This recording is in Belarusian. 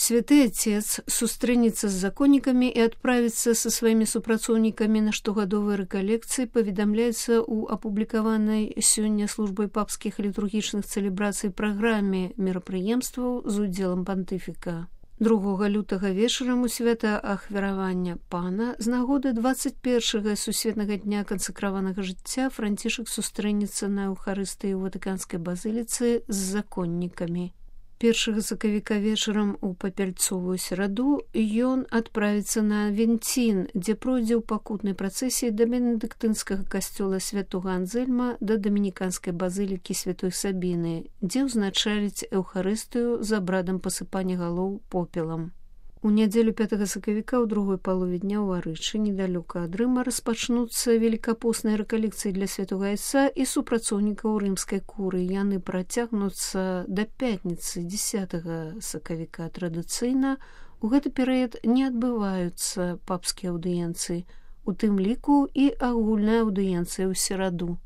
Святы Отец сустрэнецца з законнікамі і адправіцца са сваімі супрацоўнікамі на штогадовыя рэкалекцыі, паведамляецца ў апублікаванай сёння службай папскіх літургічных цэлебрацый праграме мерапрыемстваў з удзелам пантыфіка. 2 лютага вечарам у свята ахвяравання пана з нагоды 21-га сусветнага дня кансакраванага жыцця Францішак сустрэнецца на Еўхарыстыі ў Ватыканскай базыліцы з законнікамі. 1 сакавіка вечарам у папяльцовую сераду ён адправіцца на Авенцін, дзе пройдзе ў пакутнай працэсіі да бенедыктынскага касцёла святога Анзельма да дамініканскай базылікі святой Сабіны, дзе ўзначаліць Еўхарыстыю з абрадам пасыпання галоў попелам. У нядзелю 5 сакавіка ў другой палове дня ў Арычы, недалёка ад Рыма, распачнуцца велікапосныя рэкалекцыі для святога Айца і супрацоўнікаў рымскай куры. Яны працягнуцца да пятніцы 10 сакавіка. Традыцыйна у гэты перыяд не адбываюцца папскія аўдыенцыі, у тым ліку і агульная аўдыенцыя ў сераду.